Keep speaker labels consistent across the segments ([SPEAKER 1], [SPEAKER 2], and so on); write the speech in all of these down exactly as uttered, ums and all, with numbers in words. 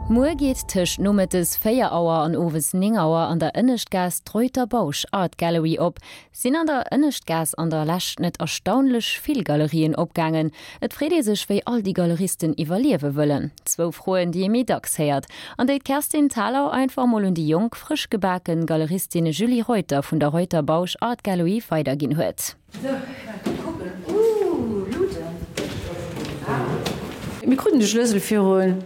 [SPEAKER 1] Muer geet tëscht nomëttes véier Auer an owes néng Auer an der Ënneschtgaass d'Reuter Bausch Art Gallery op. Sinn an der Ënneschtgaass an der Lescht net erstaunlech vill Galerien opgaangen? Et freet ee sech, wéi all déi Galeristen iwwerliewe wëllen. Zwou Froen, déi ee méi dacks héiert an déi d'Kerstin Thalau einfach mol un déi jonk, frësch gebaken Galeristin Julie Reuter vun der Reuter Bausch Art Gallery weiderginn huet.
[SPEAKER 2] Sou, kucken. Ooh, Luuten. Mir kruten de Schlëssel virun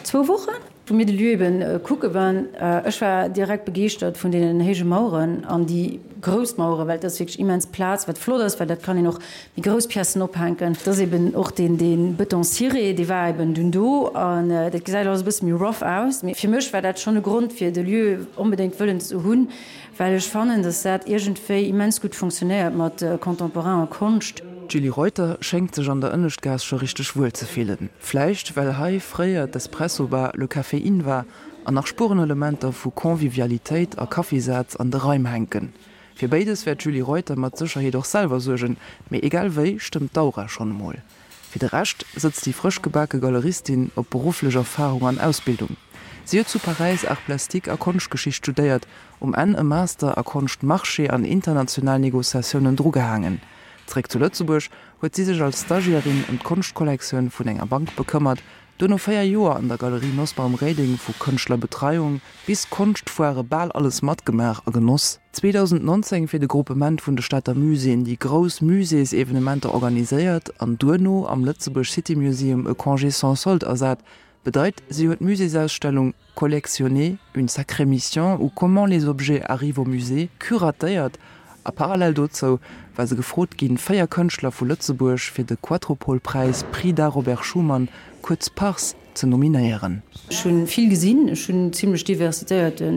[SPEAKER 2] zwou Wochen, wou mir de Lieu eben kucke waren. Ech war direkt begeeschtert vun deenen héije Maueren an déi grouss Maueren, well et ass wierklech immens Plaz, wat flott ass, well dat kann een och méi grouss Piècen ophänken. Et ass eben och deen, dee Bëton ciré, dee war eben dunn do an dat gesäit alles e bësse méi rough aus. Mee fir mech war dat schonn e Grond, fir de Lieu onbedéngt wëllen ze hunn, well ech fannen, dass dat iergendwéi immens gutt funktionéiert mat Contemporain a Konscht.
[SPEAKER 3] D'Julie Reuter schéngt sech an der Ënneschtgaass scho richteg wuel ze fillen. Vläicht well hei fréier d'Espresso-Bar Le Caféine war an nach Spurenelementer vu Convivialitéit a Kaffisaz an de Raim hänken. Fir béides wäert d'Julie Reuter mat Sécherheet och selwer suergen, mee egal wéi stëmmt d'Aura schonn emol. Fir de Rescht sëtzt déi frësch gebake Galeristin op berufflech Erfarung an Ausbildung. Si huet zu Paräis Arts plastiques a Konschtgeschicht studéiert, um Enn e Master a Konschtmarché an international Negociatiounen drugehaangen. Zeréck zu Lëtzebuerg huet si sech als Stagiairin ëm d'Konschtkollektioun vun enger Bank bekëmmert, duerno véier Joer an der Galerie Nosbaum-Reding vu Kënschtlerbetreiung bis Konschtfoire bal alles matgemaach a genoss. zweedausendnonzéng fir de Gruppement vun de Stater Muséeën déi grouss Muséesevenementer organiséiert an duerno am Lëtzebuerg City Museum e Congé sans solde ersat. Bedeit, si huet d'Muséesausstellung Collectionner, une sacrée mission ou comment les objets arrivent au musée curatéiert a parallel dozou war se gefrot ginn, véier Kënschtler vu Lëtzebuerg fir de Quattropole-Präis Prix d'Art Robert Schuman, kuerz PARS, ze nominéieren.
[SPEAKER 2] Ech hunn vill gesinn, ech hunn zimlech diversitéierte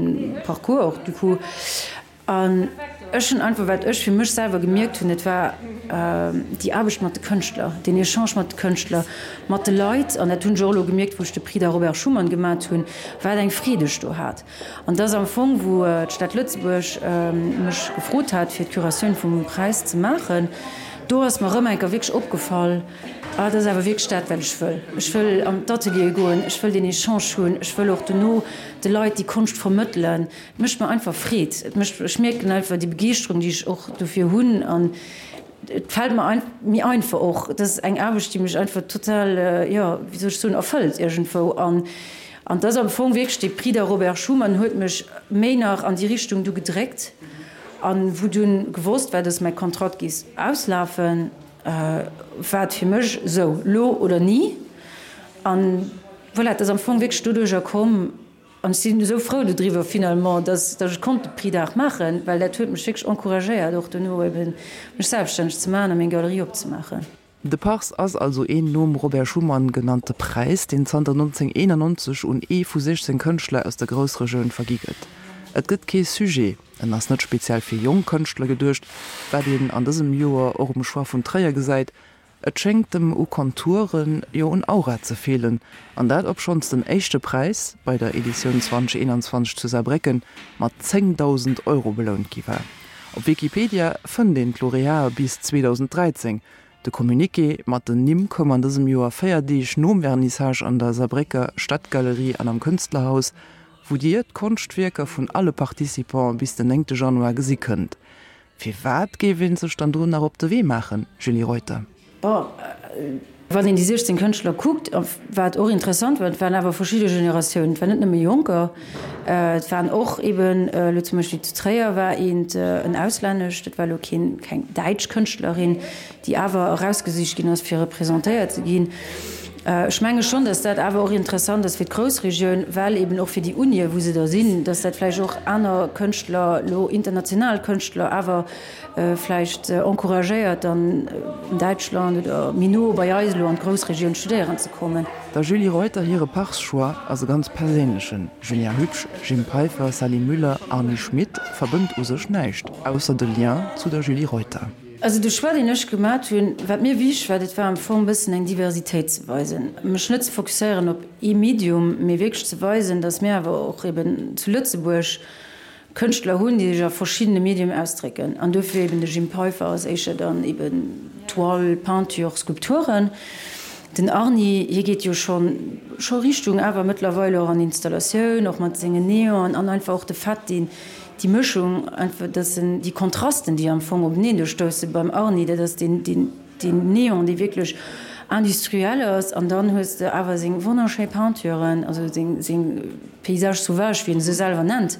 [SPEAKER 2] Parcours och du coup. An ech hunn einfach, wat ech fir mech selwer gemierkt hunn, dat war déi Aarbecht mat de Kënschtler, deen Echange mat de Kënschtler, mat de Leit, an dat hunn ech och elo gemierkt, wou ech de Prix d'Art Robert Schuman gemat hunn, wat eng Freed ech do hat. An et ass am Fong, wou d'Stad Lëtzebuerg mech gefrot hat, fir d'Curatioun vum Präis ze maachen, do ass mer erëm eng Kéier wierklech opgefall, ah, dat ass awer wierklech dat, wat ech wëll. Ech wëll an d'Ateliere goen, ech wëll deen Echange hunn, ech wëll och dono de Leit déi Konscht vermëttelen. Et mécht mer einfach Freed. Et mécht, ech mierken einfach déi Begeeschterung, déi ech och dofir hunn an et fält mer ein, méi einfach och. Et ass eng Aarbecht, déi mech einfach total, jo, wéi soll ech soen, erfëllt iergendwou. An an et ass am Fong wierklech dee Prix da Robert Schuman huet mech méi nach an déi Richtung du gedréckt. An wou dunn gewosst war, dass mäi Kontrakt géif auslafen, war et fir mech esou, lo oder ni. An voilà, et ass am Fong wierklech doduercher komm. An ech sinn esou frou dodriwwer finalement, dass dass ech konnt de Prix d'Art maachen, well dat huet mech wierklech encouragéiert, och dono eben mech selbststänneg ze maachen a meng Galerie opzemaachen.
[SPEAKER 3] De Pars ass also een nom Robert Schuman genannte Präis, deen zanter nonzénhunnerteenannonzeg un ee vu siechzéng Kënschtler aus der Groussregioun vergi gëtt. Et gëtt kee Sujet, en ass net speziell fir jonk Kënschtler geduecht, wat een an dësem Joer och um Choix vun Tréier gesäit. Et schéngt em u Konturen, jo un Aura ze feelen, an dat obschonns den éischte Präis bei der Editioun zweedausendeenanzwanzeg zu Saarbrécken mat zéngdausend Euro belount gi war. Op Wikipedia fënnt een d'Laureatë bis zweedausend dräizéng. De Communiqué mat den Nimm koum an dësem Joer véier Deeg nom Vernissage an der Saarbrécker Stadtgalerie an am Künstlerhaus, wou Dir d'Konschtwierker vun alle Participante bis den néngte Januar gesi kënnt. Firwat géif ee sech dann do nach op de Wee maachen, Julie Reuter?
[SPEAKER 2] Bon, wann een déi siechzéng Kënschtler kuckt, wat och interessant war, et waren awer verschidde Generatiounen, et waren net nëmme Jonker, et waren och eben elo zum Beispill zu Tréier war eent en auslännescht, dat war elo keen, keng däitsch Kënschtlerin, déi awer erausgesicht ginn ass, fir representéiert ze ginn. Ech menge schonn, datt dat awer och interessant ass fir d'Groussregioun, well eben och fir déi Unie, wou se da sinn, datt dat vläicht och aner Kënschtler, elo international Kënschtler awer vläicht encouragéiert, dann an Däitschland oder méi no bei eis elo an d'Groussregioun studéieren ze kommen.
[SPEAKER 3] Der Julie Reuter hire Pars-Choix ass e ganz perséinlechen. Julien Hübsch, Jim Peiffer, Sally Müller, Arny Schmit verbënnt u sech näischt, ausser de Lien zu der Julie Reuter.
[SPEAKER 2] Also de Choix, deen ech gemat hunn, wat mir wichteg war, dat war am Fong e bëssen eng Diversitéit ze weisen, mech net ze fokusséieren op ee Medium, mee wierklech ze weisen, datt mir awer och eben zu Lëtzebuerg Kënschtler hunn, déi sech a verschiddene Medium ausdrécken. An dofir eben de Jim Peiffer ass éischer dann eben Toile, Peinture, Skulpturen. Den Arny, hie geet jo schonn scho Richtung awer mëttlerweil och an Installatioun, och mat sengen Neonen an einfach och de Fait, deen déi Mëschung einfach, dass en déi Kontrasten, déi am Fong openeen do stousse beim Arny, dat ass deen, deen, deen Neon, dee wierklech industriell ass an dann hues de awer seng wonnerschéi Peinturen, also seng, seng Paysages sauvages, wéi en se selwer nennt.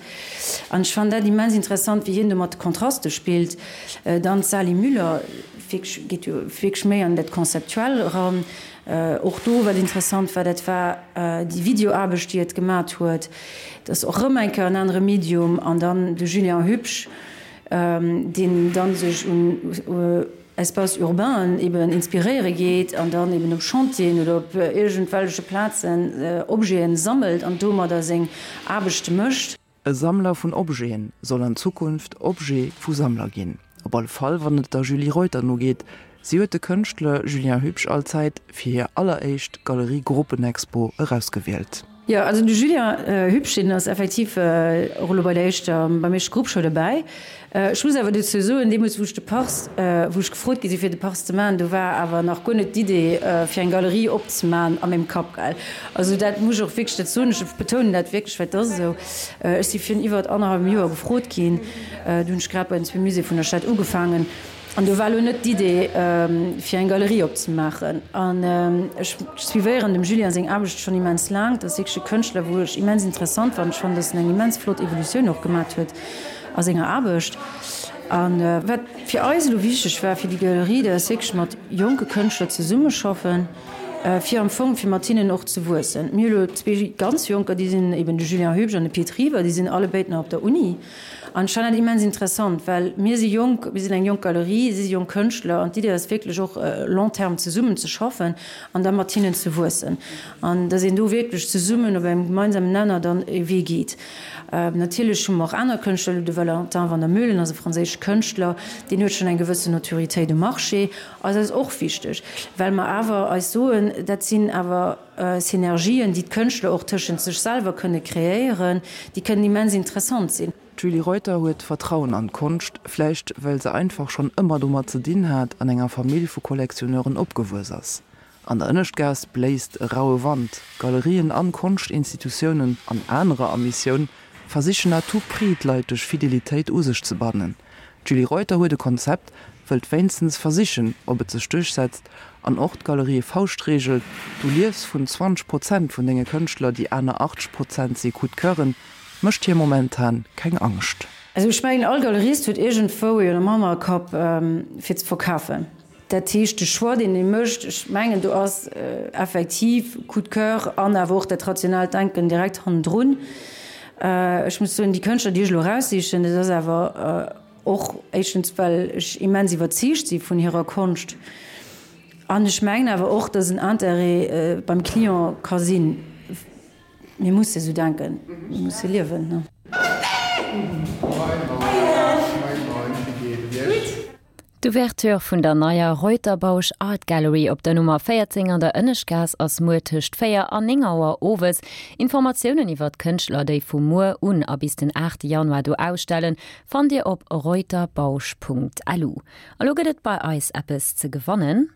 [SPEAKER 2] An ech fannen dat immens interessant, wéi hien do mat de Kontraste spillt. Dann d'Sali Müller, wierklech, geet jo wierklech méi an dat Konzeptuell eran. Och do, wat interessant war, dat war déi Videoaarbecht, déi et gemat huet. Dat ass och erëm eng Kéier en anere Medium. An dann de Julien Hübsch, deen dann sech un Espaces urbainen eben inspiréiere geet an dann eben op Chantieren oder op iergendwelleche Plazen Objeten sammelt an domadder seng Aarbechte mécht.
[SPEAKER 3] E Sammler vun Objeten soll an Zukunft Objet vu Sammler ginn. Op alle Fall wann et der Julie Reuter nogeet. Si huet de Kënschtler Julien Hübsch allzäit fir hir alleréischt Galerie-Gruppenexpo erausgewielt.
[SPEAKER 2] Jo, also de Julien Hübsch, deen ass effektiv och elo bei der éischter, beim éischte Grupp scho dobäi. Ech muss awer dozou soen, deemools wou ech de Pars, wou ech gefrot gi si fir de Pars ze maachen, do war awer nach guer net d'Idee fir eng Galerie opzemaachen a mengem Kapp, gell. Also dat muss ech och wierklech, dat soen ech, ech betounen dat wierklech, well et ass esou. Ech si virun iwwert annerhallwem Joer gefrot ginn, do hunn ech grad bei den zwee Muséeë vun der Stad ugefaangen. An do war elo net d'Idee, fir eng Galerie opzemaachen. An ech suivéieren dem Julien seng Aarbecht schonn immens laang. Dat ass wierklech e Kënschtler, wou ech immens interessant fannen. Ech fannen, datt en eng immens flott Evolutioun och gemat huet a senger Aarbecht. A wat fir eis elo wichteg war fir déi Galerie, dat ass wierklech mat jonke Kënschtler zesummeschaffen, fir am Fong fir mat hinnen och ze wuessen. Mir hu elo zwee ganz Jonker, déi sinn eben de Julien Hübsch an de Pit River, déi sinn allebéid nach op der Uni. An ech fannen dat immens interessant, well mir si jonk, mir sinn eng jonk Galerie, si si jonk Kënschtler an d'Idee ass wierklech och long terme zesummen ze schaffen an da mat hinnen ze wuessen an datt een do wierklech zesummen op engem gemeinsamen Nenner dann e Wee geet. Natierlech hu mer och aner Kënschtler, elo de Valentin Van der Meulen ass e franséische Kënschtler, deen huet schonn eng gewëssen Notoriétéit um Marché. Eis ass och wichteg, well mer awer eis soen, dat sinn awer Synergien, déi d'Kënschtler och tëschent sech selwer kënne kreéieren, déi kënnen immens interessant sinn.
[SPEAKER 3] D'Julie Reuter huet Vertrauen an d'Konscht, vläicht well se einfach schonn ëmmer domat ze dinn hat, an enger Famill vu Collectionneuren opgewuess ass. An der Ënneschtgaass bléist e raue Wand, Galerien an Konschtinstitutiounen an anerer a Missioun versichen à tout prix d'Leit duerch Fidelitéit u sech ze bannen. D'Julie Reuter huet e Konzept, wëllt wéinstens versichen, ob et sech duerchsetzt, an och d'Galerie Fauschtregel, Du liefs vun zwanzeg Prozent vun denge Kënschtler, déi aner achtzeg Prozent si Coup de Coeuren, mécht hir momentan keng Angscht.
[SPEAKER 2] Also ech mengen, all Galerist huet iergendwou een am Hannerkapp fir ze verkafen. Dat heescht, de Choix, deen ee mécht, ech mengen, do ass effektiv Coup de coeur an awer och dat rationaalt Denken direkt hannendrun. Ech muss soen, déi Kënschtler, déi ech elo eraussichen, dat ass awer och éischtens, well ech immens iwwerzeegt si vun hirer Konscht an ech mengen awer och, dass en Intérêt beim Client ka sinn. Mir musse sou denken, mir musse liewen.
[SPEAKER 1] D'Ouverture vun der neier Reuter-Bausch Art Gallery op der Nummer véierzéng an der Ënneschtgaass ass muer tëscht véier an néng Auer owes. Informatiounen iwwer d'Kënschtler, déi vu muer un a bis den aachte Januar do ausstellen, fannt Dir op reuterbausch Punkt lu. A lo gëtt et bei eis eppes ze gewannen.